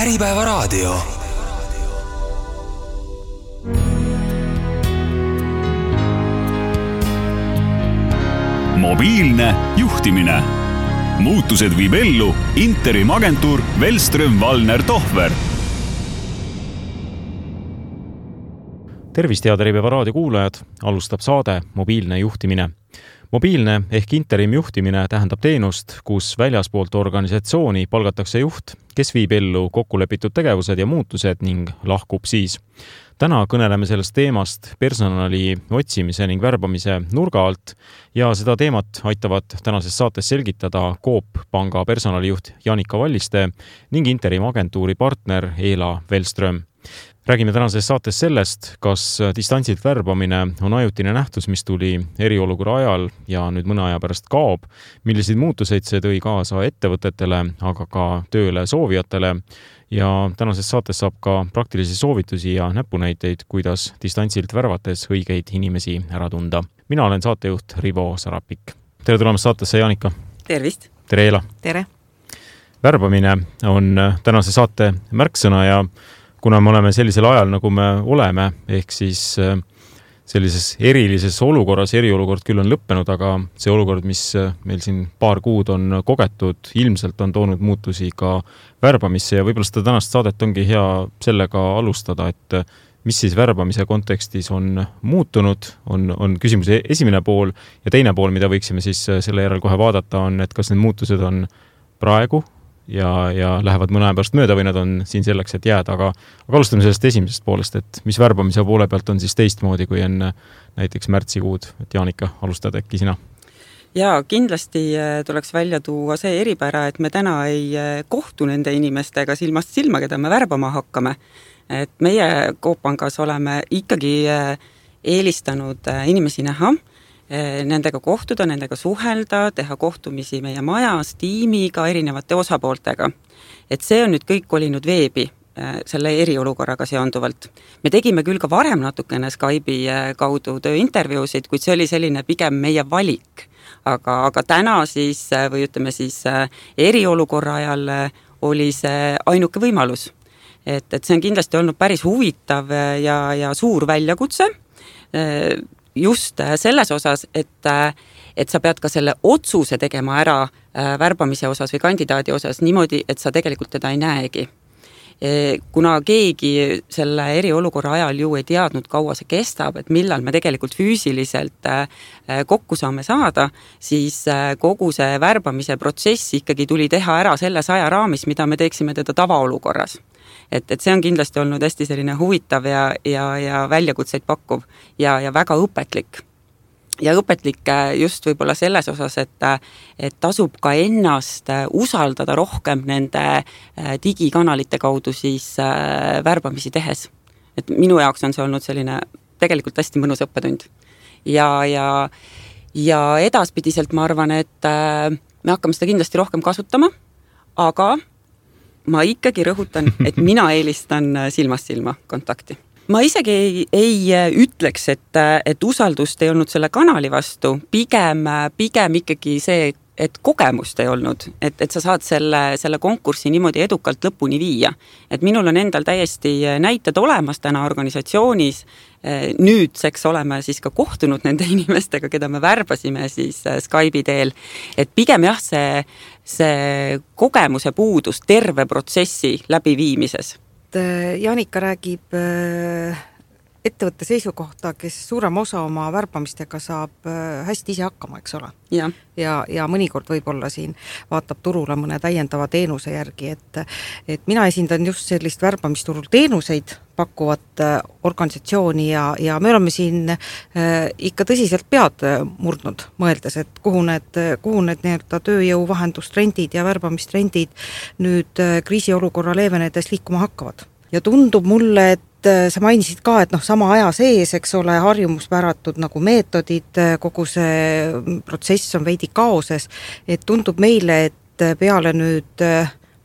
Äripäevaraadio. Mobiilne juhtimine. Muutused viib ellu Interim agentuur Wellström Wallner Tohver. Tervist, head Äripäevaraadio kuulajad! Alustab saade Mobiilne juhtimine. Mobiilne ehk interim juhtimine tähendab teenust, kus väljaspoolt organisatsiooni palgatakse juht, kes viib ellu kokkulepitud tegevused ja muutused ning lahkub siis. Täna kõneleme sellest teemast personali otsimise ning värbamise nurga alt ja seda teemat aitavad tänases saates selgitada Coop Panga personalijuht Janika Valliste ning interim agentuuri partner Eela Wellström. Räägime tänases saates sellest, kas distantsilt värbamine on ajutine nähtus, mis tuli eriolukorra ajal ja nüüd mõne aja pärast kaob, milliseid muutuseid see tõi kaasa ettevõtetele, aga ka tööle soovijatele. Ja tänases saates saab ka praktilisi soovitusi ja näpunäiteid, kuidas distantsilt värvates õigeid inimesi ära tunda. Mina olen saatejuht Rivo Sarapik. Tere tulemast saatesse, Janika! Tervist! Tere, Eela! Tere! Värbamine on tänase saate märksõna ja kuna me oleme sellisel ajal, nagu me oleme, ehk siis sellises erilises olukorras, eriolukord küll on lõppenud, aga see olukord, mis meil siin paar kuud on kogetud, ilmselt on toonud muutusi ka värbamisse ja võib-olla seda tänast saadet ongi hea sellega alustada, et mis siis värbamise kontekstis on muutunud, on küsimuse esimene pool ja teine pool, mida võiksime siis selle järel kohe vaadata, on, et kas need muutused on praegu ja lähevad mõne aja pärast mööda või nad on siin selleks, et jääda, aga alustame sellest esimesest poolest, et mis värbamise poole pealt on siis teistmoodi kui enne näiteks märtsikuud, et Janika, alustad äkki sina? Jaa, kindlasti tuleks välja tuua see eripära, et me täna ei kohtu nende inimestega silmast silma, keda me värbama hakkame. Et meie Coop Pangas oleme ikkagi eelistanud inimesi näha, nendega kohtuda, nendega suhelda, teha kohtumisi meie majas, tiimiga, erinevate osapooltega. Et see on nüüd kõik olinud veebi selle eriolukorraga seonduvalt. Me tegime küll ka varem natukene Skype'i kaudu tööintervjuusid, kuid see oli selline pigem meie valik. Aga täna siis, või ütleme siis eriolukorra ajal oli see ainuke võimalus. Et see on kindlasti olnud päris huvitav ja suur väljakutse, just selles osas, et sa pead ka selle otsuse tegema ära värbamise osas või kandidaadi osas niimoodi, et sa tegelikult teda ei näegi. Kuna keegi selle eriolukorra ajal ju ei teadnud, kaua see kestab, et millal me tegelikult füüsiliselt kokku saame saada, siis kogu see värbamise protsess ikkagi tuli teha ära selles ajaraamis, mida me teeksime teda tavaolukorras. Et see on kindlasti olnud hästi selline huvitav ja väljakutseid pakkuv ja väga õpetlik. Ja õpetlik just võib-olla selles osas, et tasub ka ennast usaldada rohkem nende digikanalite kaudu siis värbamisi tehes. Et minu jaoks on see olnud selline tegelikult hästi mõnus õppetund. Ja edaspidiselt ma arvan, et me hakkame seda kindlasti rohkem kasutama, aga ma ikkagi rõhutan, et mina eelistan silmast silma kontakti. Ma isegi ei ütleks, et usaldust ei olnud selle kanali vastu, pigem ikkagi see, et kogemust ei olnud, et sa saad selle konkursi niimoodi edukalt lõpuni viia. Et minul on endal täiesti näited olemas täna organisatsioonis, nüüdseks oleme siis ka kohtunud nende inimestega, keda me värbasime siis Skype'i teel, et pigem jah, see kogemuse puudus terve protsessi läbiviimises. Janika räägib ettevõtte seisukohta, kes suurem osa oma värbamistega saab hästi ise hakkama, eks ole. Ja mõnikord võib-olla siin vaatab turule mõne täiendava teenuse järgi, et mina esindan just sellist värbamisturul teenuseid pakkuvat organisatsiooni ja me oleme siin ikka tõsiselt pead murdnud, mõeldes, et kuhu need nii-öelda tööjõuvahendustrendid ja värbamistrendid nüüd kriisiolukorra leevenedes liikuma hakkavad. Ja tundub mulle, et sa mainisid ka, et sama aja sees, eks ole, harjumuspäratud nagu meetodid, kogu see protsess on veidi kaoses, et tundub meile, et peale nüüd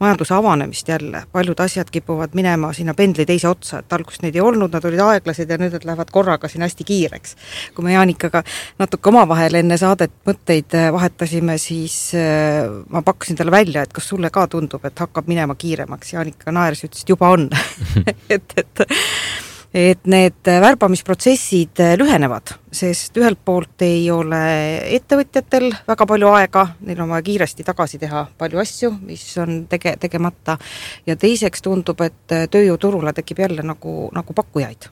majanduse avanemist jälle, paljud asjad kipuvad minema sinna pendli teise otsa, et alguses neid ei olnud, nad olid aeglased ja nüüd nad lähevad korraga siin hästi kiireks. Kui me Jaanikaga natuke omavahel enne saadet mõtteid vahetasime, siis ma pakkusin talle välja, et kas sulle ka tundub, et hakkab minema kiiremaks. Jaanika naeris, ütles, et juba on. et need värbamisprotsessid lühenevad, sest ühelt poolt ei ole ettevõtjatel väga palju aega, neil on vaja kiiresti tagasi teha palju asju, mis on tegemata, ja teiseks tundub, et tööjõuturule tekib jälle nagu pakkujaid,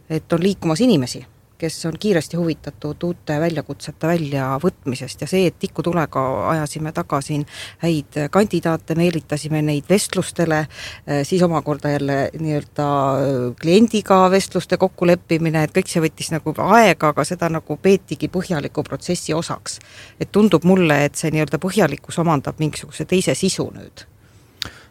et on liikumas inimesi, kes on kiiresti huvitatud uute väljakutsete väljavõtmisest ja see, et tikutulega ajasime taga siin häid kandidaate, meelitasime neid vestlustele, siis omakorda jälle nii-öelda kliendiga vestluste kokkuleppimine, et kõik see võttis nagu aega, aga seda nagu peetigi põhjaliku protsessi osaks. Et tundub mulle, et see nii-öelda põhjalikkus omandab mingisuguse teise sisu nüüd.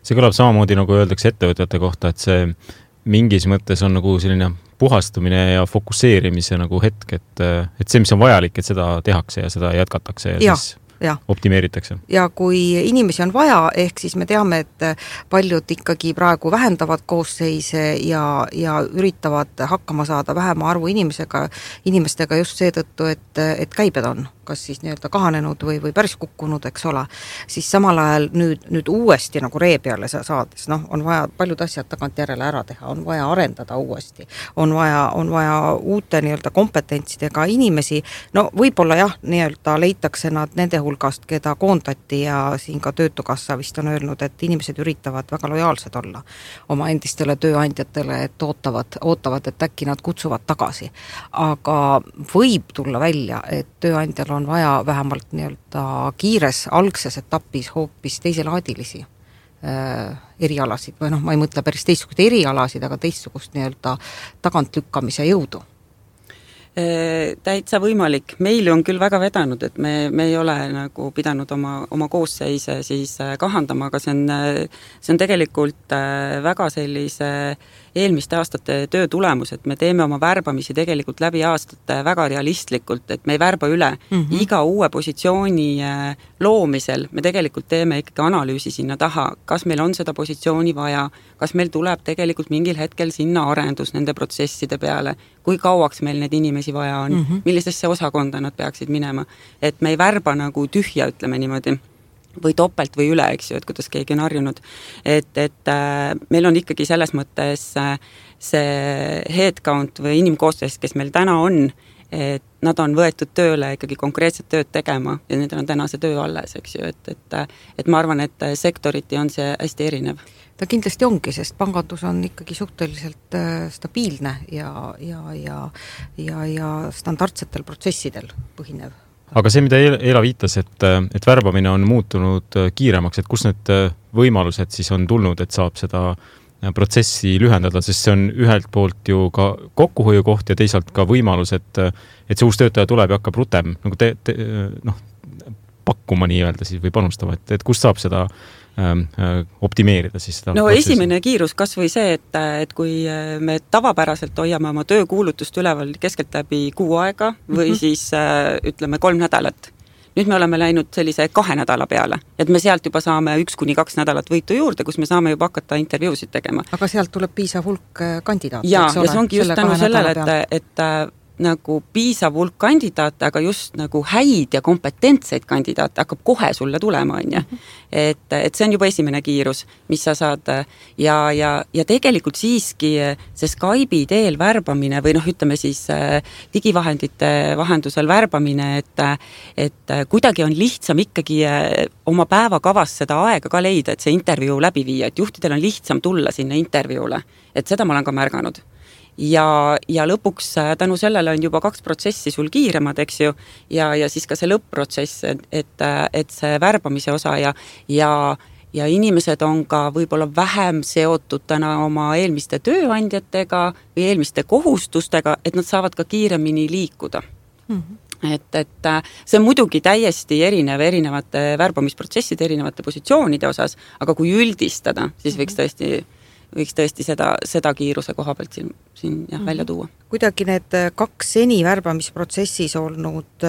See kõlab samamoodi, nagu öeldakse ettevõtjate kohta, et see mingis mõttes on nagu selline puhastumine ja fokusseerimise nagu hetk, et see, mis on vajalik, et seda tehakse ja seda jätkatakse ja siis optimeeritakse. Ja kui inimesi on vaja, ehk siis me teame, et paljud ikkagi praegu vähendavad koosseise ja üritavad hakkama saada vähema arvu inimestega just seetõttu, et käibed on kas siis nii-öelda kahanenud või päris kukkunud, eks ole, siis samal ajal nüüd uuesti nagu ree peale saades, on vaja paljud asjad tagant järele ära teha, on vaja arendada uuesti, on vaja uute nii-öelda kompetentsidega inimesi, võib-olla jah, nii-öelda leitakse nad nende hulgast, keda koondati ja siin ka Töötukassa vist on öelnud, et inimesed üritavad väga lojaalsed olla oma endistele tööandjatele, et ootavad, et äkki nad kutsuvad tagasi. Aga võib tulla välja, et tööandjal on vaja vähemalt nii-öelda kiires algses etapis hoopis teiselaadilisi erialasid või ma ei mõtle päris teistsugust erialasid, aga teistsugust nii-öelda tagantlükkamise jõudu. Täitsa võimalik. Meil on küll väga vedanud, et me ei ole nagu pidanud oma koosseise siis kahandama, aga see on tegelikult väga sellise eelmiste aastate töö tulemus, et me teeme oma värbamisi tegelikult läbi aastate väga realistlikult, et me ei värba üle. Iga uue positsiooni loomisel me tegelikult teeme ikkagi analüüsi sinna taha, kas meil on seda positsiooni vaja, kas meil tuleb tegelikult mingil hetkel sinna arendus nende protsesside peale, kui kauaks meil neid inimesi vaja on, millisesse osakonda nad peaksid minema. Et me ei värba nagu tühja, ütleme niimoodi, või topelt või üle, eks ju, et kuidas keegi on harjunud. Et meil on ikkagi selles mõttes see headcount või inimkoosseis, kes meil täna on, et nad on võetud tööle ikkagi konkreetset tööd tegema ja need on täna see töö alles, eks ju, et ma arvan, et sektoriti on see hästi erinev. Ta kindlasti ongi, sest pangandus on ikkagi suhteliselt stabiilne ja standardsetel protsessidel põhinev. Aga see, mida Eela viitas, et värbamine on muutunud kiiremaks, et kus need võimalused siis on tulnud, et saab seda protsessi lühendada, sest see on ühelt poolt ju ka kokkuhoiu koht ja teisalt ka võimalus, et see uus töötaja tuleb ja hakkab rutem nagu pakkuma nii-öelda siis või panustama, et kust saab seda optimeerida siis seda protsessi? Esimene kiirus kas või see, et kui me tavapäraselt hoiame oma töökuulutust üleval keskelt läbi 6 aega või siis ütleme 3 nädalat. Nüüd me oleme läinud sellise 2 nädala peale, et me sealt juba saame 1-2 nädalat võitu juurde, kus me saame juba hakata intervjuusid tegema. Aga sealt tuleb piisav hulk kandidaate, ja see ongi just tänu sellele, et nagu piisav hulk kandidaate, aga just nagu häid ja kompetentseid kandidaate hakkab kohe sulle tulema, on ju. Et see on juba esimene kiirus, mis sa saad ja tegelikult siiski see Skype'i teel värbamine või ütleme siis digivahendite vahendusel värbamine, et kuidagi on lihtsam ikkagi oma päevakavas seda aega ka leida, et see intervjuu läbi viia, et juhtidel on lihtsam tulla sinna intervjuule, et seda ma olen ka märganud. Ja lõpuks tänu sellele on juba 2 protsessi sul kiiremad, eks ju, ja siis ka see lõpp-protsess, et see värbamise osa ja inimesed on ka võib-olla vähem seotud täna oma eelmiste tööandjatega või eelmiste kohustustega, et nad saavad ka kiiremini liikuda. Et see on muidugi täiesti erinevate värbamisprotsesside, erinevate positsioonide osas, aga kui üldistada, siis võiks tõesti võiks tõesti seda kiiruse koha pealt siin välja tuua. Kuidagi need 2 seni värbamisprotsessis olnud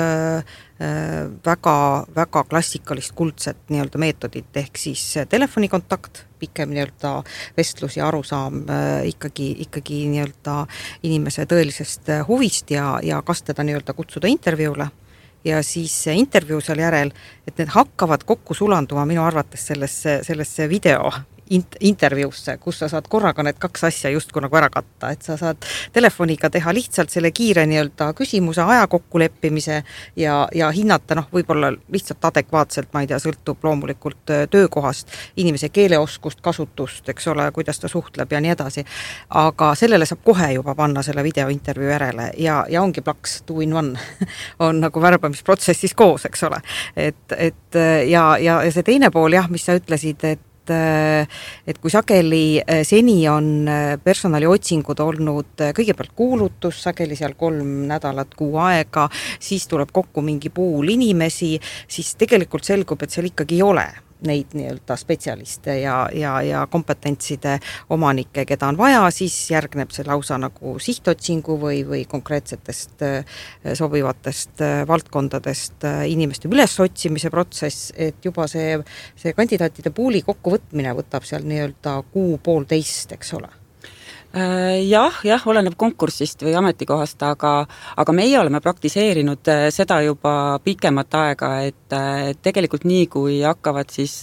väga, väga klassikalist kuldset nii-öelda meetodit ehk siis telefonikontakt, pikem nii-öelda vestlus ja arusaam ikkagi nii-öelda inimese tõelisest huvist ja kas teda nii-öelda kutsuda intervjuule ja siis see intervjuu seal järel, et need hakkavad kokku sulanduma minu arvates sellesse video intervjuusse, kus sa saad korraga need 2 asja justkui nagu ära katta, et sa saad telefoniga teha lihtsalt selle kiire nii-öelda küsimuse aja kokkuleppimise ja hinnata, võib-olla lihtsalt adekvaatselt, ma ei tea, sõltub loomulikult töökohast, inimese keeleoskust, kasutust, eks ole, kuidas ta suhtleb ja nii edasi. Aga sellele saab kohe juba panna selle videointervjuu järele ja ongi plaks 2 in 1 on nagu värbamisprotsessis koos, eks ole. Ja see teine pool, mis sa ütlesid, et kui sageli seni on personaliotsingud olnud kõigepealt kuulutus, sageli seal 3 nädalat, 6 aega, siis tuleb kokku mingi pool inimesi, siis tegelikult selgub, et seal ikkagi ei ole neid nii-öelda spetsialiste ja kompetentside omanikke, keda on vaja, siis järgneb see lausa nagu sihtotsingu või konkreetsetest sobivatest valdkondadest inimeste ülesotsimise protsess, et juba see kandidaatide puuli kokkuvõtmine võtab seal nii-öelda 1,5, eks ole. Jah, oleneb konkursist või ametikohast, aga meie oleme praktiseerinud seda juba pikemat aega, et tegelikult nii, kui hakkavad siis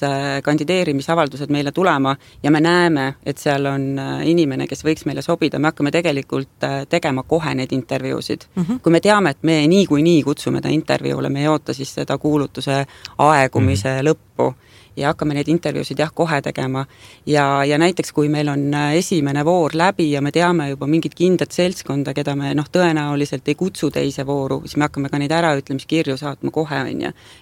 kandideerimisavaldused meile tulema ja me näeme, et seal on inimene, kes võiks meile sobida, me hakkame tegelikult tegema kohe neid intervjuusid. Kui me teame, et me nii kutsume ta intervjuule, me ei oota siis seda kuulutuse aegumise lõppu ja hakkame neid intervjuusid kohe tegema ja näiteks kui meil on esimene voor läbi ja me teame juba mingit kindlat seltskonda, keda me tõenäoliselt ei kutsu teise vooru, siis me hakkame ka neid äraütlemiskirju saatma kohe,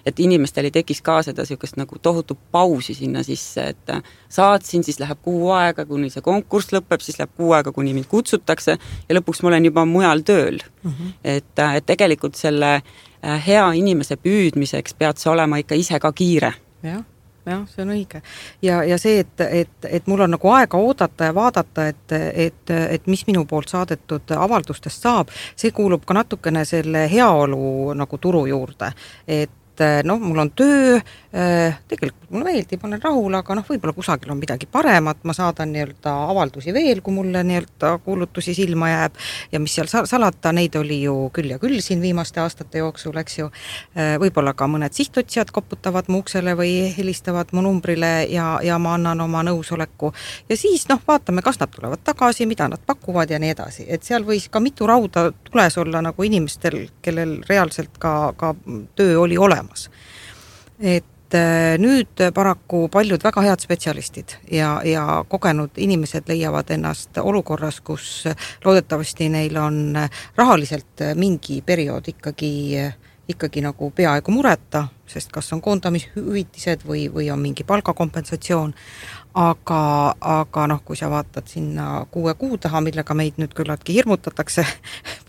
et inimestel ei tekiks ka seda niisugust nagu tohutu pausi sinna sisse, et saatsin, siis läheb 6 aega, kuni see konkurss lõpeb, siis läheb 6 aega, kuni mind kutsutakse ja lõpuks ma olen juba mujal tööl. Et tegelikult selle hea inimese püüdmiseks pead sa olema ikka ise ka kiire. Jah, see on õige. Ja see, et mul on nagu aega oodata ja vaadata, et mis minu poolt saadetud avaldustest saab, see kuulub ka natukene selle heaolu nagu turu juurde, et mul on töö, tegelikult mulle meeldib, ma olen rahul, aga võib-olla kusagil on midagi paremat, ma saadan nii-öelda avaldusi veel, kui mulle nii-öelda kuulutusi silma jääb ja mis seal salata, neid oli ju küll ja küll siin viimaste aastate jooksul, eks ju, võib-olla ka mõned sihtotsijad koputavad mu uksele või helistavad mu numbrile ja ma annan oma nõusoleku ja siis vaatame, kas nad tulevad tagasi, mida nad pakuvad ja nii edasi, et seal võis ka mitu rauda tules olla nagu inimestel, kellel reaalselt ka töö oli olemas. Et nüüd paraku paljud väga head spetsialistid ja kogenud inimesed leiavad ennast olukorras, kus loodetavasti neil on rahaliselt mingi periood ikkagi nagu peaaegu mureta, sest kas on koondamishüvitised või on mingi palgakompensatsioon, aga kui sa vaatad sinna 6 kuu taha, millega meid nüüd küllaltki hirmutatakse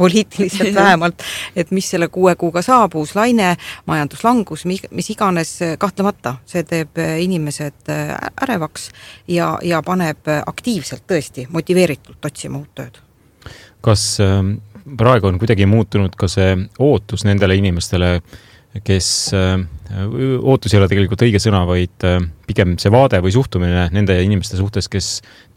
poliitiliselt vähemalt, et mis selle 6 kuuga saab, uus laine, majanduslangus, mis iganes, kahtlemata, see teeb inimesed ärevaks ja paneb aktiivselt tõesti motiveeritult otsima uut tööd. Kas praegu on kuidagi muutunud ka see ootus nendele inimestele, kes ootus ei ole tegelikult õige sõna, vaid pigem see vaade või suhtumine nende inimeste suhtes, kes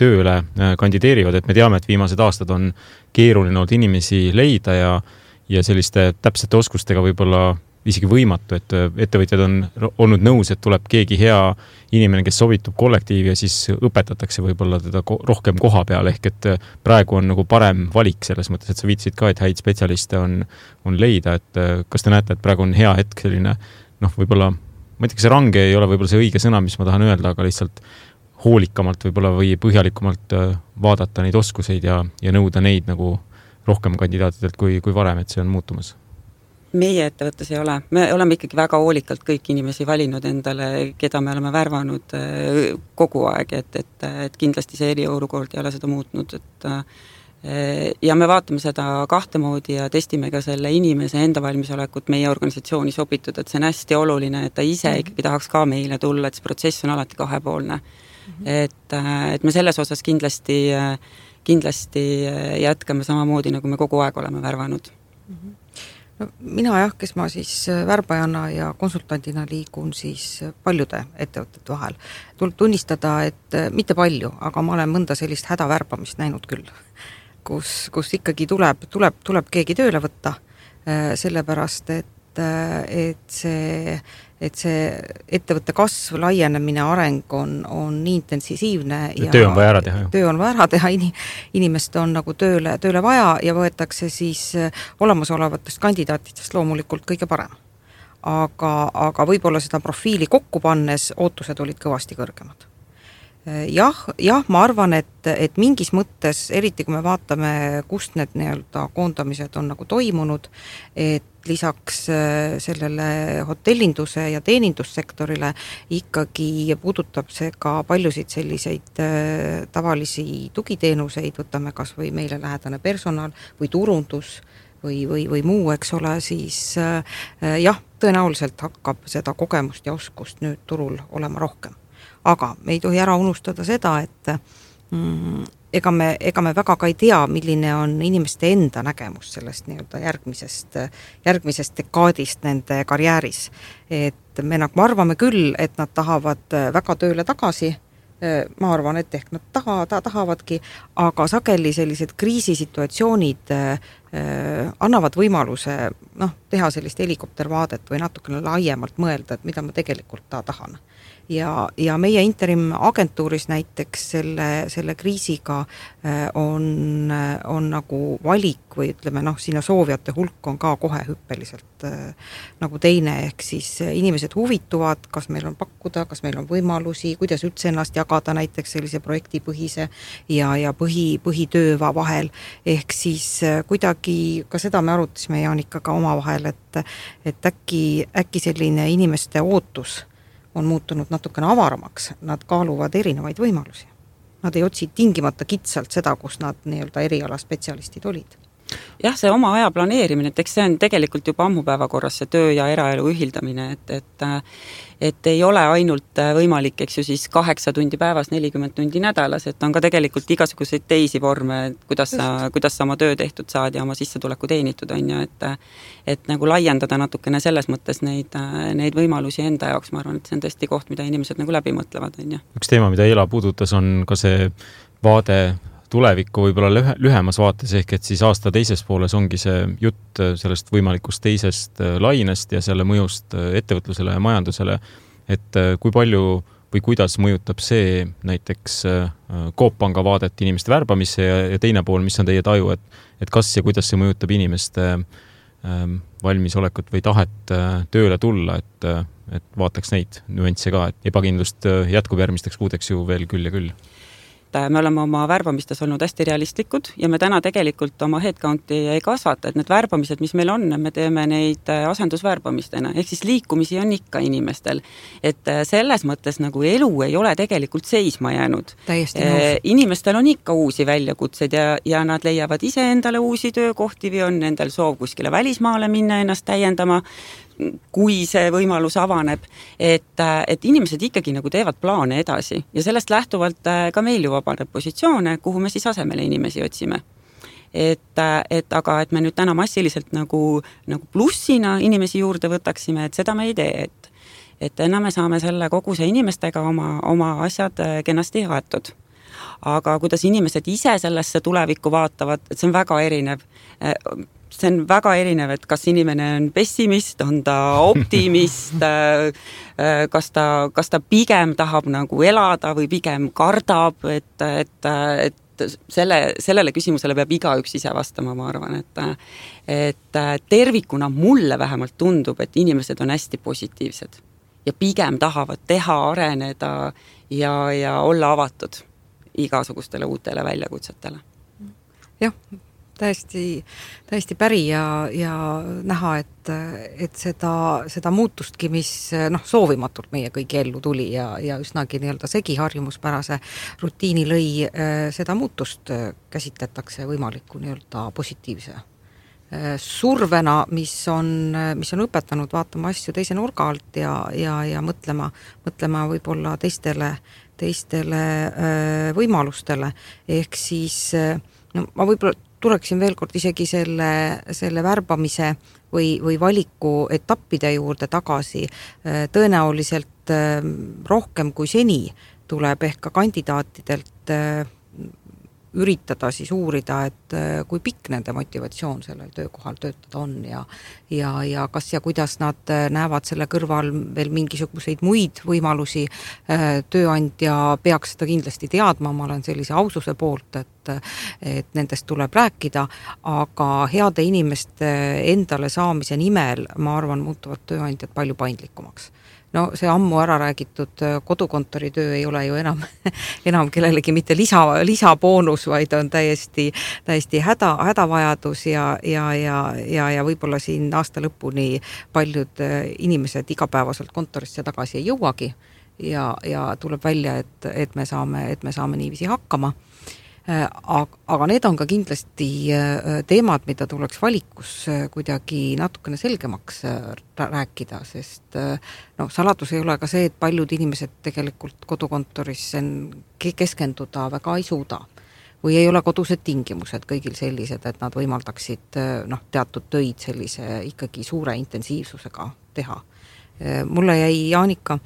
tööle kandideerivad, et me teame, et viimased aastad on keeruline olnud inimesi leida ja selliste täpsete oskustega võib-olla isegi võimatu, et ettevõtjad on olnud nõus, et tuleb keegi hea inimene, kes sobitub kollektiivi ja siis õpetatakse võib-olla teda rohkem koha peal, ehk et praegu on nagu parem valik selles mõttes, et sa viitsid ka, et häid spetsialiste on leida, et kas te näete, et praegu on hea hetk selline, võib-olla, ma ei tea, kas see range ei ole võib-olla see õige sõna, mis ma tahan öelda, aga lihtsalt hoolikamalt võib-olla või põhjalikumalt vaadata neid oskuseid ja nõuda neid nagu rohkem kandidaatidelt kui varem, et see on muutumas. Meie ettevõttes ei ole. Me oleme ikkagi väga hoolikalt kõik inimesi valinud endale, keda me oleme värvanud kogu aeg, et kindlasti see eriolukord ei ole seda muutnud. Ja me vaatame seda 2 moodi ja testime ka selle inimese enda valmisolekut meie organisatsiooni sobitud, et see on hästi oluline, et ta ise ikkagi tahaks ka meile tulla, et see protsess on alati 2-poolne. et me selles osas kindlasti jätkame samamoodi, nagu me kogu aeg oleme värvanud. No, mina jah, kes ma siis värbajana ja konsultandina liigun siis paljude ettevõtete vahel. Tuleb tunnistada, et mitte palju, aga ma olen mõnda sellist hädavärbamist näinud küll, kus ikkagi tuleb keegi tööle võtta, sellepärast, et see ettevõtte kasv, laienemine, areng on nii intensiivne ja töö on vaja ära teha. Töö on vaja ära teha, inimest on nagu tööle vaja ja võetakse siis olemasolevatest kandidaatidest loomulikult kõige parem. Aga võib-olla seda profiili kokku pannes ootused olid kõvasti kõrgemad. Jah, ma arvan, et mingis mõttes, eriti kui me vaatame, kust need nii-öelda koondamised on nagu toimunud, et lisaks sellele hotellinduse ja teenindussektorile ikkagi puudutab see ka paljusid selliseid tavalisi tugiteenuseid, võtame kas või meile lähedane personal või turundus või muu, eks ole, siis jah, tõenäoliselt hakkab seda kogemust ja oskust nüüd turul olema rohkem. Aga me ei tohi ära unustada seda, et ega me väga ka ei tea, milline on inimeste enda nägemus sellest nii-öelda järgmisest dekaadist nende karjääris. Et me nagu arvame küll, et nad tahavad väga tööle tagasi, ma arvan, et ehk nad tahavadki, aga sageli sellised kriisisituatsioonid annavad võimaluse teha sellist helikoptervaadet või natukene laiemalt mõelda, et mida ma tegelikult tahan. Ja meie interim agentuuris näiteks selle kriisiga on nagu valik või ütleme, sinna soovijate hulk on ka kohe hüppeliselt nagu teine, ehk siis inimesed huvituvad, kas meil on pakkuda, kas meil on võimalusi, kuidas üldse ennast jagada näiteks sellise projektipõhise ja põhitöö vahel, ehk siis kuidagi ka seda me arutasime Jaanikaga omavahel, et äkki selline inimeste ootus on muutunud natukene avaramaks, nad kaaluvad erinevaid võimalusi. Nad ei otsi tingimata kitsalt seda, kus nad nii-öelda eriala spetsialistid olid. Jah, see oma aja planeerimine, et eks see on tegelikult juba ammupäeva korras see töö ja eraelu ühildamine, et ei ole ainult võimalik, eks ju siis 8 tundi päevas, 40 tundi nädalas, et on ka tegelikult igasuguseid teisi vorme, kuidas sa oma töö tehtud saad ja oma sissetuleku teenitud on ju, et nagu laiendada natukene selles mõttes neid võimalusi enda jaoks, ma arvan, et see on tõesti koht, mida inimesed nagu läbi mõtlevad on ju. Üks teema, mida Ela puudutas, on ka see vaade tulevikku võib-olla lühemas vaates, ehk et siis aasta teises pooles ongi see jutt sellest võimalikust teisest lainest ja selle mõjust ettevõtlusele ja majandusele, et kui palju või kuidas mõjutab see näiteks Coop Panga vaadet inimeste värbamisse ja teine pool, mis on teie taju, et kas ja kuidas see mõjutab inimeste valmisolekut või tahet tööle tulla, et vaataks neid nüansse ka, et ebakindlust jätkub järgmisteks kuudeks ju veel küll ja küll. Me oleme oma värbamistes olnud hästi realistlikud ja me täna tegelikult oma headcounti ei kasvata, et need värbamised, mis meil on, me teeme neid asendusvärbamistena, ehk siis liikumisi on ikka inimestel. Et selles mõttes nagu elu ei ole tegelikult seisma jäänud. Inimestel on ikka uusi väljakutseid ja nad leiavad ise endale uusi töökohti või on nendel soov kuskile välismaale minna ennast täiendama, kui see võimalus avaneb, et inimesed ikkagi nagu teevad plaane edasi ja sellest lähtuvalt ka meil ju vabaneb positsioone, kuhu me siis asemele inimesi otsime. Aga et me nüüd täna massiliselt nagu plussina inimesi juurde võtaksime, et seda me ei tee, et enam me saame selle koguse inimestega oma asjad kenasti jaetud. Aga kuidas inimesed ise sellesse tulevikku vaatavad, et see on väga erinev. See on väga erinev, et kas inimene on pessimist, on ta optimist, kas ta pigem tahab nagu elada või pigem kardab, et sellele küsimusele peab igaüks ise vastama, ma arvan, et tervikuna mulle vähemalt tundub, et inimesed on hästi positiivsed ja pigem tahavad teha, areneda ja olla avatud igasugustele uutele väljakutsetele. Jah, täiesti päri ja näha, et seda muutustki, mis soovimatult meie kõigi ellu tuli ja üsnagi nii-öelda segiharjumuspärase rutiini lõi, seda muutust käsitletakse võimaliku nii-öelda positiivse survena, mis on õpetanud vaatama asju teise nurga alt ja mõtlema võib-olla teistele võimalustele, ehk siis no ma võib-olla tuleksin veel kord isegi selle värbamise või valiku etappide juurde tagasi. Tõenäoliselt rohkem kui seni tuleb ehk ka kandidaatidelt üritada siis uurida, et kui pikk nende motivatsioon sellel töökohal töötada on ja kas ja kuidas nad näevad selle kõrval veel mingisuguseid muid võimalusi. Tööandja peaks seda kindlasti teadma, ma olen sellise aususe poolt, et nendest tuleb rääkida, aga heade inimeste endale saamise nimel, ma arvan, muutuvad tööandjad palju paindlikumaks. No see ammu ära räägitud kodukontori töö ei ole ju enam kellelegi mitte lisaboonus, vaid on täiesti hädavajadus ja võib-olla siin aasta lõpuni paljud inimesed igapäevaselt kontorisse tagasi ei jõuagi ja tuleb välja, et me saame niiviisi hakkama. Aga need on ka kindlasti teemad, mida tuleks valikus kuidagi natukene selgemaks rääkida, sest saladus ei ole ka see, et paljud inimesed tegelikult kodukontoris keskenduda väga ei suuda või ei ole kodused tingimused kõigil sellised, et nad võimaldaksid teatud töid sellise ikkagi suure intensiivsusega teha. Mulle jäi Jaanika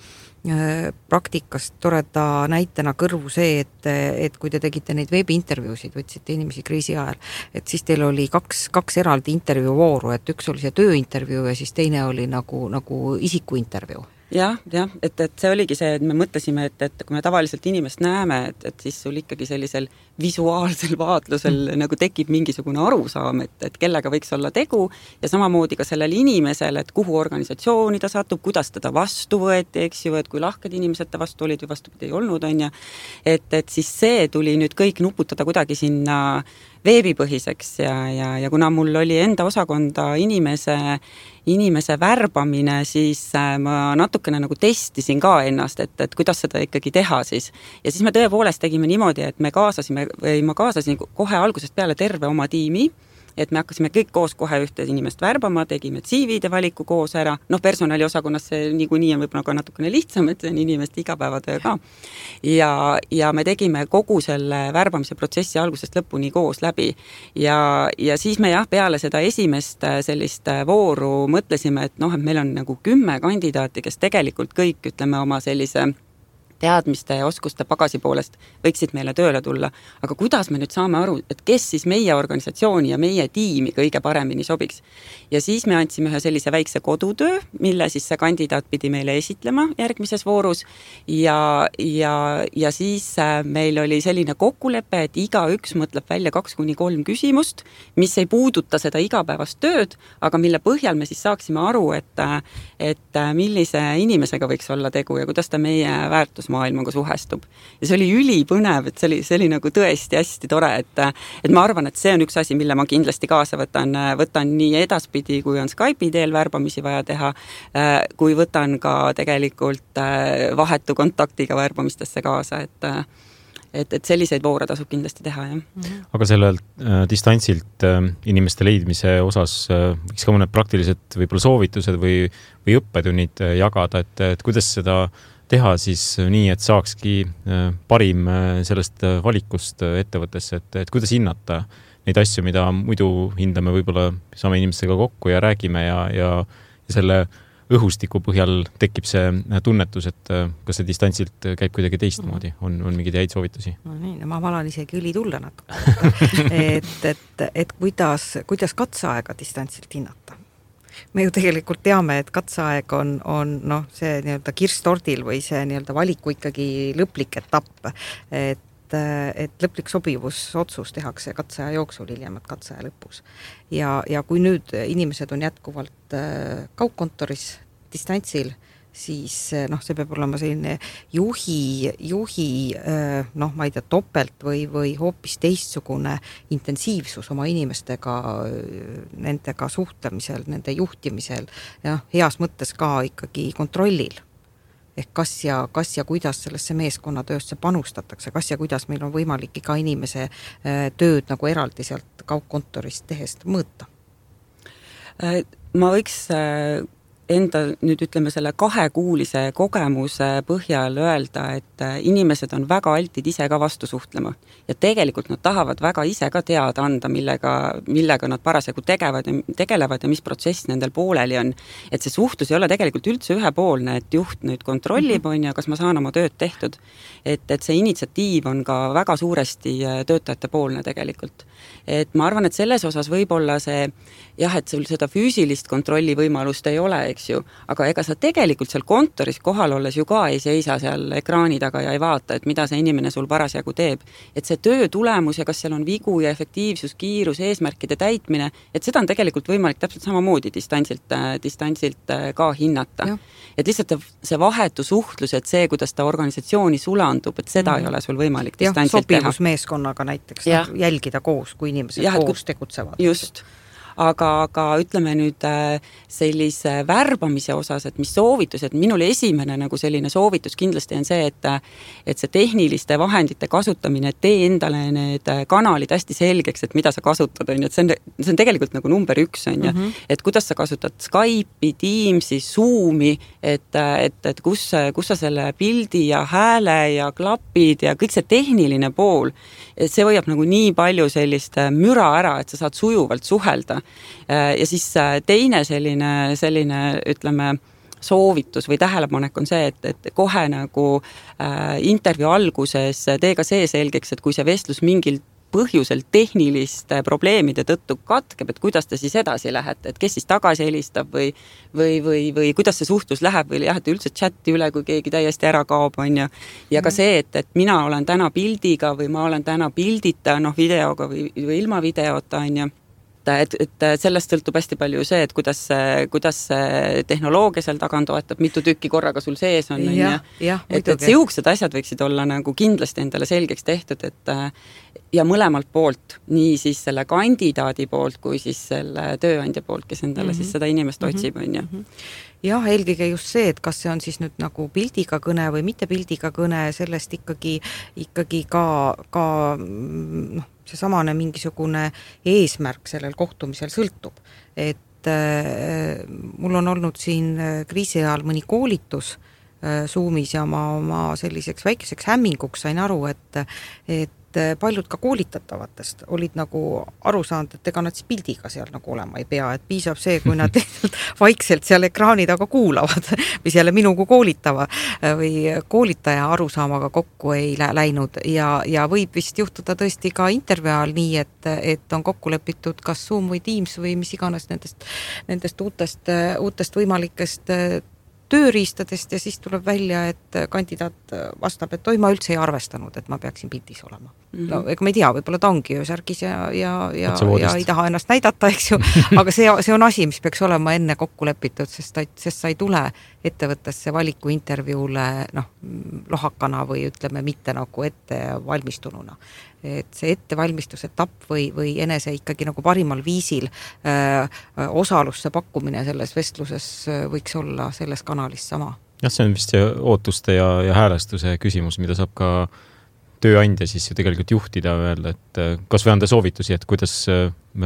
praktikast toreda näitena kõrvu see, et kui te tegite neid veebiintervjuusid, võtsite inimesi kriisi ajal, et siis teil oli kaks eraldi intervjuuvooru, et üks oli see tööintervjuu ja siis teine oli nagu isikuintervjuu. Jah, et see oligi see, et me mõtlesime, et kui me tavaliselt inimest näeme, et siis sul ikkagi sellisel visuaalsel vaatlusel nagu tekib mingisugune arusaam, et kellega võiks olla tegu ja samamoodi ka sellel inimesel, et kuhu organisatsiooni ta satub, kuidas teda vastu võeti, eks ju, et kui lahked inimesed ta vastu olid või vastupidi ei olnud, on ja et siis see tuli nüüd kõik nuputada kuidagi sinna veebipõhiseks ja kuna mul oli enda osakonda inimese värbamine, siis ma natukene nagu testisin ka ennast, et kuidas seda ikkagi teha siis. Ja siis me tõepoolest tegime niimoodi, et ma kaasasin kohe algusest peale terve oma tiimi, et me hakkasime kõik koos kohe ühte inimest värbama, tegime CV-de valiku koos ära, personaliosakonnas see niikuinii on võib-olla ka natukene lihtsam, et see on inimeste igapäevatöö ka. Ja me tegime kogu selle värbamise protsessi algusest lõpuni koos läbi ja siis me peale seda esimest sellist vooru mõtlesime, et meil on nagu 10 kandidaati, kes tegelikult kõik, ütleme, oma sellise teadmiste ja oskuste pagasi poolest võiksid meile tööle tulla. Aga kuidas me nüüd saame aru, et kes siis meie organisatsiooni ja meie tiimi kõige paremini sobiks? Ja siis me andsime ühe sellise väikse kodutöö, mille siis see kandidaat pidi meile esitlema järgmises voorus ja siis meil oli selline kokkulepe, et igaüks mõtleb välja 2-3 küsimust, mis ei puuduta seda igapäevast tööd, aga mille põhjal me siis saaksime aru, et millise inimesega võiks olla tegu ja kuidas ta meie väärtusmaailmaga suhestub. Ja see oli ülipõnev, et see oli nagu tõesti hästi tore, et ma arvan, et see on üks asi, mille ma kindlasti kaasa võtan nii edaspidi, kui on Skype'i teel värbamisi vaja teha, kui võtan ka tegelikult vahetu kontaktiga värbamistesse kaasa, et selliseid voore tasub kindlasti teha, jah. Aga sellel distantsilt inimeste leidmise osas võiks ka mõned praktilised võib-olla soovitused või õppetunnid jagada, et kuidas seda teha siis nii, et saakski parim sellest valikust ettevõttesse, et kuidas hinnata neid asju, mida muidu hindame, võib-olla saame inimestega kokku ja räägime ja selle õhustiku põhjal tekib see tunnetus, et kas see distantsilt käib kuidagi teistmoodi, on mingeid häid soovitusi? No nii, ma valan isegi üli tulla natuke. et kuidas katseaega distantsilt hinnata? Me ju tegelikult teame, et katseaeg on see nii-öelda kirstordil või see nii-öelda valiku ikkagi lõplik etapp, et lõplik sobivusotsus tehakse katseaja jooksul, hiljem katseaja lõpus. Ja kui nüüd inimesed on jätkuvalt kaugkontoris distantsil, siis see peab olema selline juhi ma ei tea, topelt või hoopis teistsugune intensiivsus oma inimestega, nendega suhtlemisel, nende juhtimisel ja heas mõttes ka ikkagi kontrollil. Ehk kas ja kuidas sellesse meeskonnatöösse panustatakse, kas ja kuidas meil on võimalik iga inimese tööd nagu eraldi sealt kaugkontorist tehest mõõta? Ma võiks enda nüüd ütleme selle 2-kuulise kogemuse põhjal öelda, et inimesed on väga altid ise ka vastu suhtlema. Ja tegelikult nad tahavad väga ise ka teada anda, millega nad parasjagu tegelevad ja mis protsess nendel pooleli on. Et see suhtlus ei ole tegelikult üldse ühepoolne, et juht nüüd kontrollib, on ja kas ma saan oma tööd tehtud. Et see initsiatiiv on ka väga suuresti töötajate poolne tegelikult. Et ma arvan, et selles osas võib-olla see, et sul seda füüsilist kontrolli võimalust ei ole, eks ju, aga ega sa tegelikult seal kontoris kohal olles ju ka ei seisa seal ekraani taga ja ei vaata, et mida see inimene sul parasjagu teeb. Et see töö tulemus ja kas seal on vigu ja efektiivsus, kiirus, eesmärkide täitmine, et seda on tegelikult võimalik täpselt samamoodi distantsilt ka hinnata. Ja. Et lihtsalt see vahetu suhtlus, et see, kuidas ta organisatsiooni sulandub, et seda ei ole sul võimalik distantsilt teha. Sobivusmeeskonnaga näiteks jälgida koos, kui inimesed koos tegutsevad. Just. Aga ütleme nüüd sellise värbamise osas, et mis soovitus, et minul esimene nagu selline soovitus kindlasti on see, et see tehniliste vahendite kasutamine, et tee endale need kanalid hästi selgeks, et mida sa kasutad, on ju, et see on tegelikult nagu number 1, on ju, et kuidas sa kasutad Skype'i, Teamsi, Zoomi, et kus sa selle pildi ja hääle ja klapid ja kõik see tehniline pool, et see hoiab nagu nii palju sellist müra ära, et sa saad sujuvalt suhelda. Ja siis teine selline ütleme, soovitus või tähelepanek on see, et kohe nagu intervjuu alguses tee ka see selgeks, et kui see vestlus mingil põhjusel tehniliste probleemide tõttu katkeb, et kuidas te siis edasi lähete, et kes siis tagasi helistab või kuidas see suhtlus läheb või lähete üldse chatti üle, kui keegi täiesti ära kaob, on ju. Ja ka see, et mina olen täna pildiga või ma olen täna pildita, videoga või ilma videota, on ju. Et sellest sõltub hästi palju see, et kuidas see tehnoloogia seal taga toetab, mitu tükki korraga sul sees on. Et siuksed asjad võiksid olla nagu kindlasti endale selgeks tehtud, et ja mõlemalt poolt, nii siis selle kandidaadi poolt kui siis selle tööandja poolt, kes endale siis seda inimest otsib, on ju. Jah, eelkõige just see, et kas see on siis nüüd nagu pildiga kõne või mitte pildiga kõne, sellest ikkagi ka see samane mingisugune eesmärk sellel kohtumisel sõltub. Et mul on olnud siin kriisi ajal mõni koolitus Zoomis ja ma selliseks väikeseks hämminguks sain aru, et paljud ka koolitatavatest olid nagu aru saanud, et ega nad siis pildiga seal nagu olema ei pea, et piisab see, kui nad vaikselt seal ekraani taga kuulavad, mis jälle minu kui koolitava või koolitaja arusaamaga kokku ei läinud ja võib vist juhtuda tõesti ka intervjuu ajal nii, et on kokku lepitud kas Zoom või Teams või mis iganes nendest uutest võimalikest tööriistadest ja siis tuleb välja, et kandidaat vastab, et ma üldse ei arvestanud, et ma peaksin pildis olema. No, ega ma ei tea, võib-olla ta ongi särgis ja ei taha ennast näidata, eks ju, aga see on asi, mis peaks olema enne kokku lepitud, sest sa ei tule ettevõttesse valiku intervjuule lohakana või ütleme mitte nagu ette valmistununa. Et see ettevalmistus etapp või enese ikkagi nagu parimal viisil osalusse pakkumine selles vestluses võiks olla selles kanalis sama. Jah, see on vist see ootuste ja häälestuse küsimus, mida saab ka tööandja siis ju tegelikult juhtida öelda, et kas või anda soovitusi, et kuidas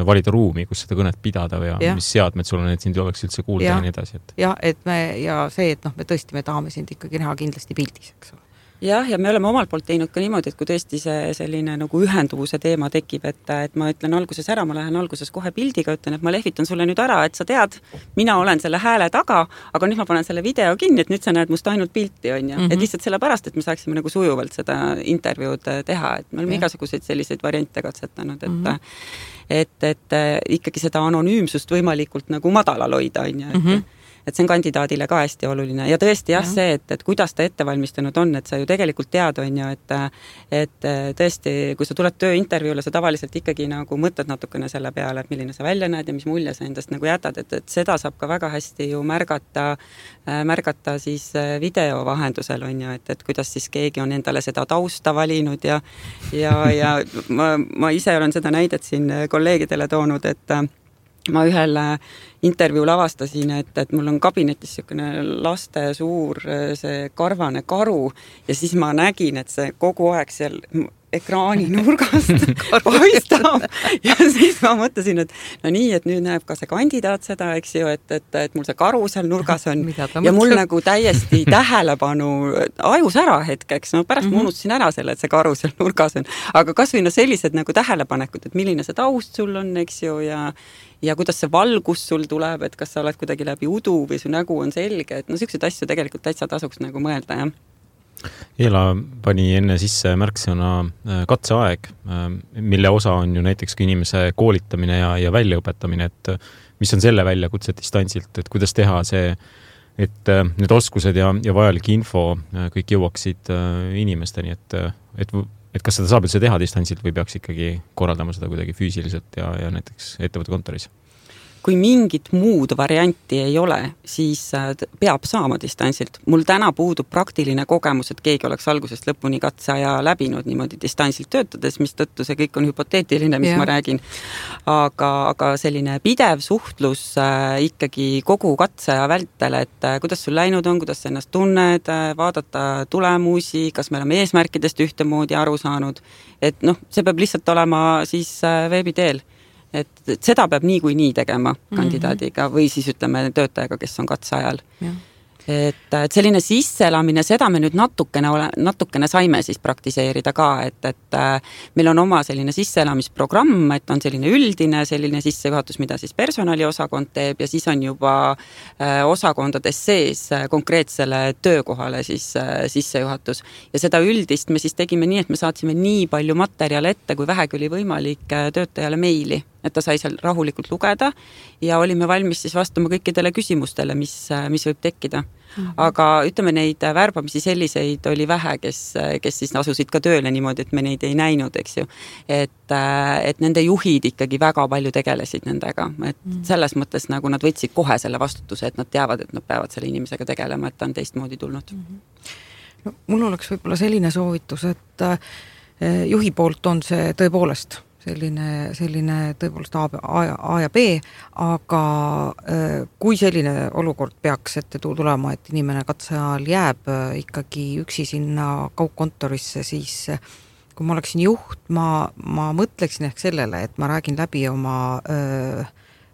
valida ruumi, kus seda kõnet pidada või mis seadmed sul on, et sind oleks üldse kuulda ja nii edasi. Et me tõesti tahame sind ikkagi näha kindlasti pildis, eks ole. Jah, ja me oleme omalt poolt teinud ka niimoodi, et kui tõesti see selline nagu ühenduvuse teema tekib, et ma ütlen alguses ära, ma lähen alguses kohe pildiga, ütlen, et ma lehvitan sulle nüüd ära, et sa tead, mina olen selle hääle taga, aga nüüd ma panen selle video kinni, et nüüd sa näed must ainult pilti, on ju. Et lihtsalt sellepärast, et me saaksime nagu sujuvalt seda intervjuud teha, et me oleme igasuguseid selliseid variante katsetanud, et ikkagi seda anonüümsust võimalikult nagu madalal hoida, on ju, et see on kandidaadile ka hästi oluline. Ja tõesti see, et kuidas ta ettevalmistanud on, et sa ju tegelikult tead, on ju, et tõesti, kui sa tuled tööintervjuule, sa tavaliselt ikkagi nagu mõtled natukene selle peale, et milline sa välja näed ja mis mulje sa endast nagu jätad, et seda saab ka väga hästi ju märgata siis video vahendusel, on ju, et kuidas siis keegi on endale seda tausta valinud ja ma ise olen seda näidet siin kolleegidele toonud, et ma ühel intervjuul avastasin, et mul on kabinetis niisugune laste suur see karvane karu ja siis ma nägin, et see kogu aeg seal ekraani nurgast paistab ja siis ma mõtlesin, et no nii, et nüüd näeb ka see kandidaat seda, eks ju, et mul see karu seal nurgas on ja mul nagu täiesti tähelepanu ajus ära hetkeks, no pärast ma unustasin ära selle, et see karu seal nurgas on, aga kas või sellised nagu tähelepanekud, et milline see taust sul on, eks ju, ja kuidas see valgus sul tuleb, et kas sa oled kuidagi läbi udu või su nägu on selge, et no selliseid asju tegelikult täitsa tasuks nagu mõelda, jah. Eela pani enne sisse märksõna katseaeg, mille osa on ju näiteks inimese koolitamine ja väljaõpetamine, et mis on selle väljakutse distantsilt, et kuidas teha see, et need oskused ja vajalik info kõik jõuaksid inimesteni, et kas seda saab üldse teha distantsilt või peaks ikkagi korraldama seda kuidagi füüsiliselt ja näiteks ettevõtte kontoris? Kui mingit muud varianti ei ole, siis peab saama distantsilt. Mul täna puudub praktiline kogemus, et keegi oleks algusest lõpuni katseaja läbinud niimoodi distantsilt töötades, mis tõttu see kõik on hüpoteetiline, mis ma räägin. Aga selline pidev suhtlus ikkagi kogu katseaja vältel, et kuidas sul läinud on, kuidas sa ennast tunned, vaadata tulemusi, kas me oleme eesmärkidest ühtemoodi aru saanud, et see peab lihtsalt olema siis veebi teel. Et seda peab nii tegema kandidaadiga või siis ütleme töötajaga, kes on katseajal. Et selline sisseelamine, seda me nüüd natukene saime siis praktiseerida ka, et meil on oma selline sisseelamisprogramm, et on selline üldine selline sissejuhatus, mida siis personaliosakond teeb ja siis on juba osakondades sees konkreetsele töökohale siis sissejuhatus. Ja seda üldist me siis tegime nii, et me saatsime nii palju materjale ette, kui vähegi oli võimalik töötajale meili, et ta sai seal rahulikult lugeda ja olime valmis siis vastama kõikidele küsimustele, mis võib tekkida. Aga ütleme, neid värbamisi selliseid oli vähe, kes siis asusid ka tööle niimoodi, et me neid ei näinud, eks ju. Et nende juhid ikkagi väga palju tegelesid nendega. Et selles mõttes nagu nad võtsid kohe selle vastutuse, et nad teavad, et nad peavad selle inimesega tegelema, et ta on teistmoodi tulnud. No, mul oleks võib-olla selline soovitus, et juhi poolt on see tõepoolest selline tõepoolest A ja B, aga kui selline olukord peaks ette tulema, et inimene katseajal jääb ikkagi üksi sinna kaugkontorisse, siis kui ma oleksin juht, ma mõtleksin ehk sellele, et ma räägin läbi oma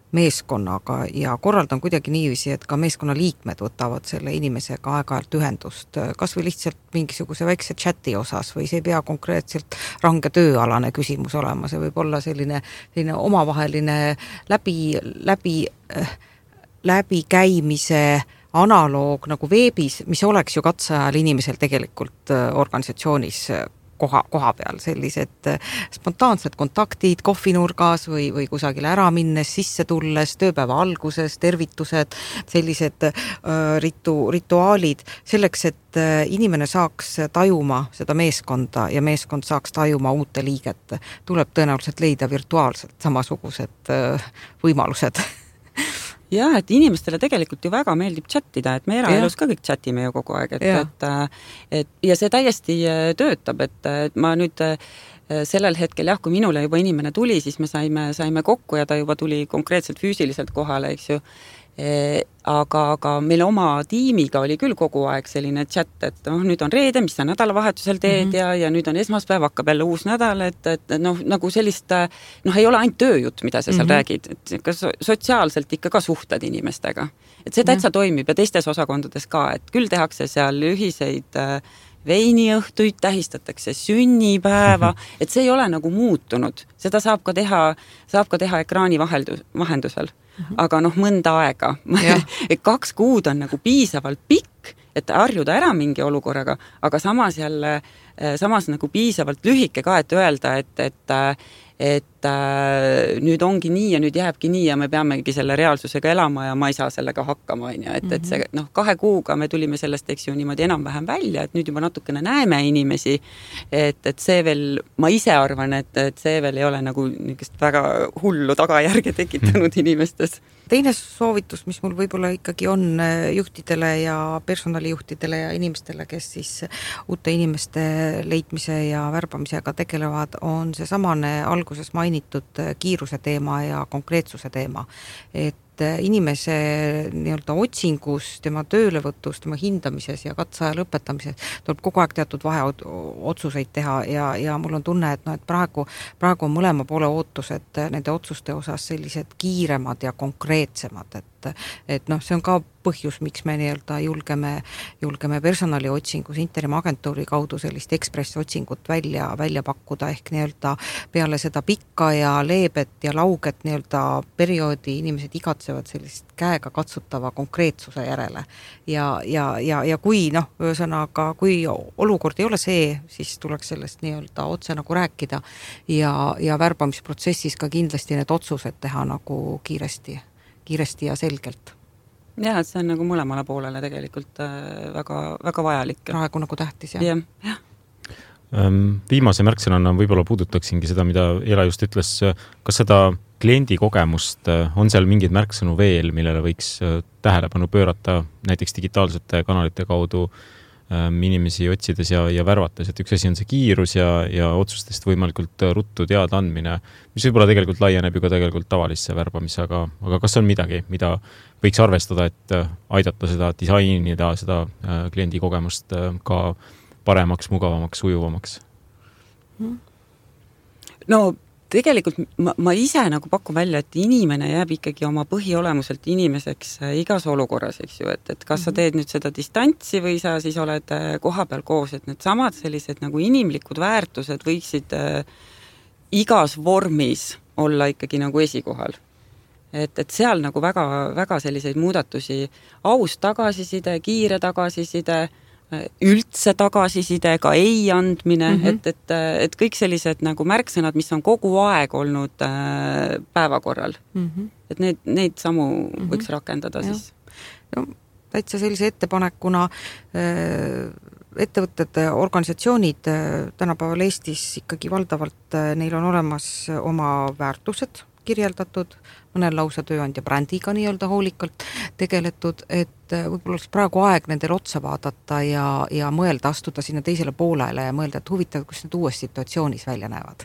meeskonnaga ja korraldan kuidagi niiviisi, et ka meeskonna liikmed võtavad selle inimesega aeg-ajalt ühendust, kas või lihtsalt mingisuguse väikse chati osas või see ei pea konkreetselt range tööalane küsimus olema, see võib olla selline omavaheline läbikäimise analoog nagu veebis, mis oleks ju katseajal inimesel tegelikult organisatsioonis koha peal, sellised spontaansed kontaktid kohvinurgas või kusagile ära minnes, sisse tulles, tööpäeva alguses, tervitused, sellised rituaalid, selleks, et inimene saaks tajuma seda meeskonda ja meeskond saaks tajuma uute liiget, tuleb tõenäoliselt leida virtuaalselt samasugused võimalused. Jah, et inimestele tegelikult ju väga meeldib chattida, et me eraelus ka kõik chatime ju kogu aeg, et ja see täiesti töötab, et ma nüüd sellel hetkel kui minule juba inimene tuli, siis me saime kokku ja ta juba tuli konkreetselt füüsiliselt kohale, eks ju. Aga meil oma tiimiga oli küll kogu aeg selline chat, et nüüd on reede, mis sa nädalavahetusel teed ja nüüd on esmaspäev, hakkab jälle uus nädal, et nagu sellist, ei ole ainult tööjutt, mida sa seal räägid, et ka sotsiaalselt ikka ka suhtled inimestega. Et see täitsa toimib ja teistes osakondades ka, et küll tehakse seal ühiseid veiniõhtuid, tähistatakse sünnipäeva, et see ei ole nagu muutunud. Seda saab ka teha ekraani vahendusel. Aga mõnda aega. 2 kuud on nagu piisavalt pikk, et harjuda ära mingi olukorraga, aga samas nagu piisavalt lühike ka, et öelda, et nüüd ongi nii ja nüüd jääbki nii ja me peamegi selle reaalsusega elama ja ma ei saa sellega hakkama. Et see 2 kuuga me tulime sellest, eks ju, niimoodi enam-vähem välja, et nüüd juba natukene näeme inimesi, et see veel, ma ise arvan, et see veel ei ole nagu väga hullu tagajärge tekitanud inimestes. Teine soovitus, mis mul võib-olla ikkagi on juhtidele ja personalijuhtidele ja inimestele, kes siis uute inimeste leidmise ja värbamisega tegelevad, on see samane alguses mainitud kiiruse teema ja konkreetsuse teema. Et inimese nii-öelda otsingus, tema töölevõtus, tema hindamises ja katseaja lõpetamises tuleb kogu aeg teatud vaheotsuseid teha ja mul on tunne, et praegu on mõlema poole ootused nende otsuste osas sellised kiiremad ja konkreetsemad, et see on ka põhjus, miks me nii-öelda julgeme personaliotsingus interim-agentuuri kaudu sellist ekspressotsingut välja pakkuda, ehk nii-öelda peale seda pikka ja leebet ja lauget nii-öelda perioodi inimesed igatsevad sellist käega katsutava konkreetsuse järele. Ja kui ühesõnaga, kui olukord ei ole see, siis tuleks sellest nii-öelda otse nagu rääkida ja värbamisprotsessis ka kindlasti need otsused teha nagu kiiresti ja selgelt. Jah, et see on nagu mõlemale poolele tegelikult väga, väga vajalik. Praegu nagu tähtis, jah. Viimase märksõnana võib-olla puudutaksingi seda, mida Eela just ütles. Kas seda kliendi kogemust on seal mingid märksõnu veel, millele võiks tähelepanu pöörata näiteks digitaalsete kanalite kaudu inimesi otsides ja värvates, et üks asi on see kiirus ja otsustest võimalikult ruttu teada andmine, mis võib-olla tegelikult laieneb ju ka tegelikult tavalisse värbamisse, aga kas on midagi, mida võiks arvestada, et aidata seda disainida, seda kliendi kogemust ka paremaks, mugavamaks, ujuvamaks? No tegelikult ma ise nagu pakun välja, et inimene jääb ikkagi oma põhiolemuselt inimeseks igas olukorras, eks ju, et kas sa teed nüüd seda distantsi või sa siis oled koha peal koos, et need samad sellised nagu inimlikud väärtused võiksid igas vormis olla ikkagi nagu esikohal. Et seal nagu väga, väga selliseid muudatusi, aus tagasiside, kiire tagasiside, üldse tagasiside, ka ei andmine, et kõik sellised nagu märksõnad, mis on kogu aeg olnud päevakorral. Et neid samu võiks rakendada siis. No, täitsa sellise ettepanekuna ettevõtted, organisatsioonid tänapäeval Eestis ikkagi valdavalt, neil on olemas oma väärtused kirjeldatud, mõnel lausa tööandja brändiga nii-öelda hoolikalt tegeletud, et võib-olla oleks praegu aeg nendel otsa vaadata ja mõelda, astuda sinna teisele poolele ja mõelda, et huvitav, kus need uues situatsioonis välja näevad.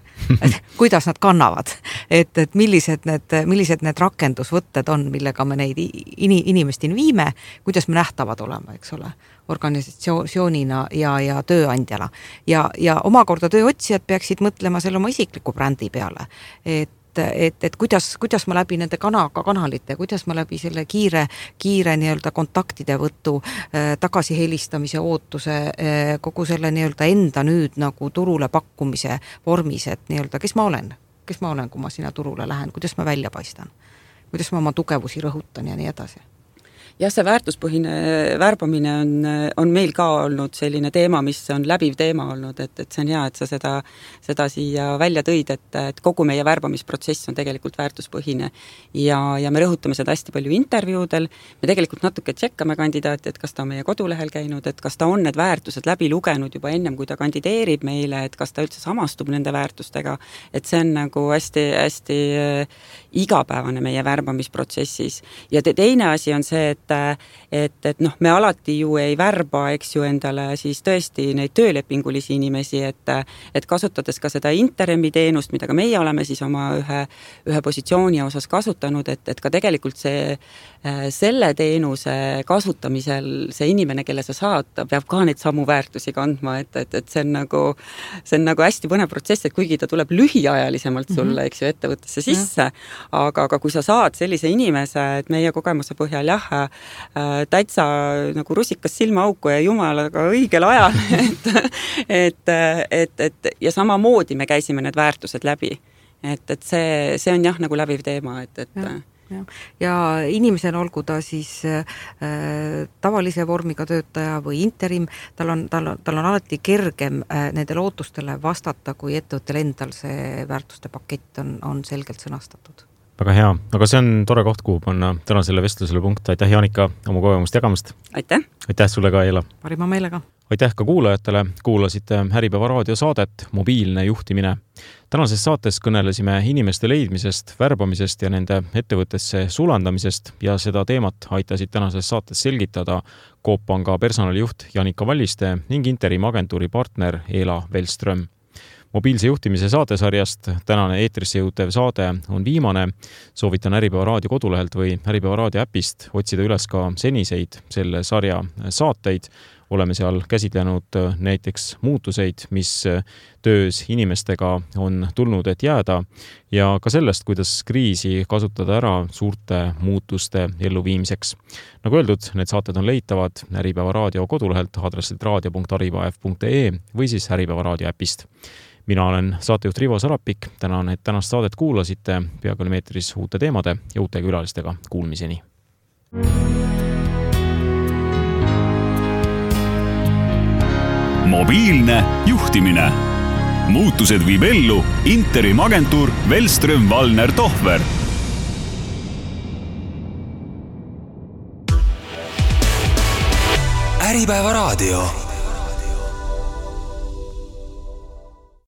Kuidas nad kannavad, et millised need rakendusvõtted on, millega me neid inimesteni viime, kuidas me nähtavad olema, eks ole, organisatsioonina ja tööandjana. Ja omakorda tööotsijad peaksid mõtlema selle oma isikliku brändi peale, et kuidas ma läbi nende kanalite, kuidas ma läbi selle kiire nii-öelda kontaktide võttu, tagasi helistamise ootuse, kogu selle nii-öelda enda nüüd nagu turule pakkumise vormis, et nii-öelda kes ma olen, kui ma sinna turule lähen, kuidas ma välja paistan, kuidas ma oma tugevusi rõhutan ja nii edasi. Jah, see väärtuspõhine värbamine on meil ka olnud selline teema, mis on läbiv teema olnud, et see on hea, et sa seda siia välja tõid, et kogu meie värbamisprotsess on tegelikult väärtuspõhine ja me rõhutame seda hästi palju intervjuudel, me tegelikult natuke tšekkame kandidaati, et kas ta on meie kodulehel käinud, et kas ta on need väärtused läbi lugenud juba ennem, kui ta kandideerib meile, et kas ta üldse samastub nende väärtustega, et see on nagu hästi igapäevane meie värbamisprotsessis. Ja teine asi on see, et me alati ju ei värba, eks ju, endale siis tõesti neid töölepingulisi inimesi, et kasutades ka seda interimi teenust, mida ka meie oleme siis oma ühe positsiooni osas kasutanud, et ka tegelikult selle teenuse kasutamisel see inimene, kelle sa saad, peab ka neid samu väärtusi kandma, et see on nagu hästi põnev protsess, et kuigi ta tuleb lühiajalisemalt sulle, eks ju, ettevõttesse sisse, aga kui sa saad sellise inimese, et meie kogemuse põhjal täitsa nagu rusikas silmaauku ja jumalaga õigel ajal, et ja samamoodi me käisime need väärtused läbi. Et see on jah nagu läbiv teema, ja inimesel olgu ta siis tavalise vormiga töötaja või interim, tal on alati kergem nendele ootustele vastata, kui ettevõttel endal see väärtuste pakett on selgelt sõnastatud. Väga hea, aga see on tore koht, kuhu panna tänasele vestlusele punkt. Aitäh, Jaanika, oma kogemust jagamast. Aitäh. Aitäh sulle ka, Eela. Parima meelega. Aitäh ka kuulajatele. Kuulasite Äripäeva raadiosaadet Mobiilne juhtimine. Tänases saates kõnelesime inimeste leidmisest, värbamisest ja nende ettevõttesse sulandamisest ja seda teemat aitasid tänases saates selgitada Coop Panga personalijuht Jaanika Valliste ning interim agentuuri partner Eela Velström. mobiilse juhtimise saatesarjast tänane eetrisse jõutev saade on viimane. Soovitan Äripäeva raadio kodulehelt või Äripäeva raadio äpist otsida üles ka seniseid selle sarja saateid. Oleme seal käsitlenud näiteks muutuseid, mis töös inimestega on tulnud, et jääda ja ka sellest, kuidas kriisi kasutada ära suurte muutuste elluviimiseks. Nagu öeldud, need saated on leitavad Äripäeva raadio kodulehelt aadressilt radio.arivaef.ee või siis Äripäeva raadio äpist. Mina olen saatejuht Rivo Sarapik, tänan, et tänast saadet kuulasite, peaaegu meetris uute teemade ja uute külalistega kuulmiseni. Mobiilne juhtimine. Muutused viib ellu Interim agentuur Wellström Wallner Tohver. Äripäeva raadio.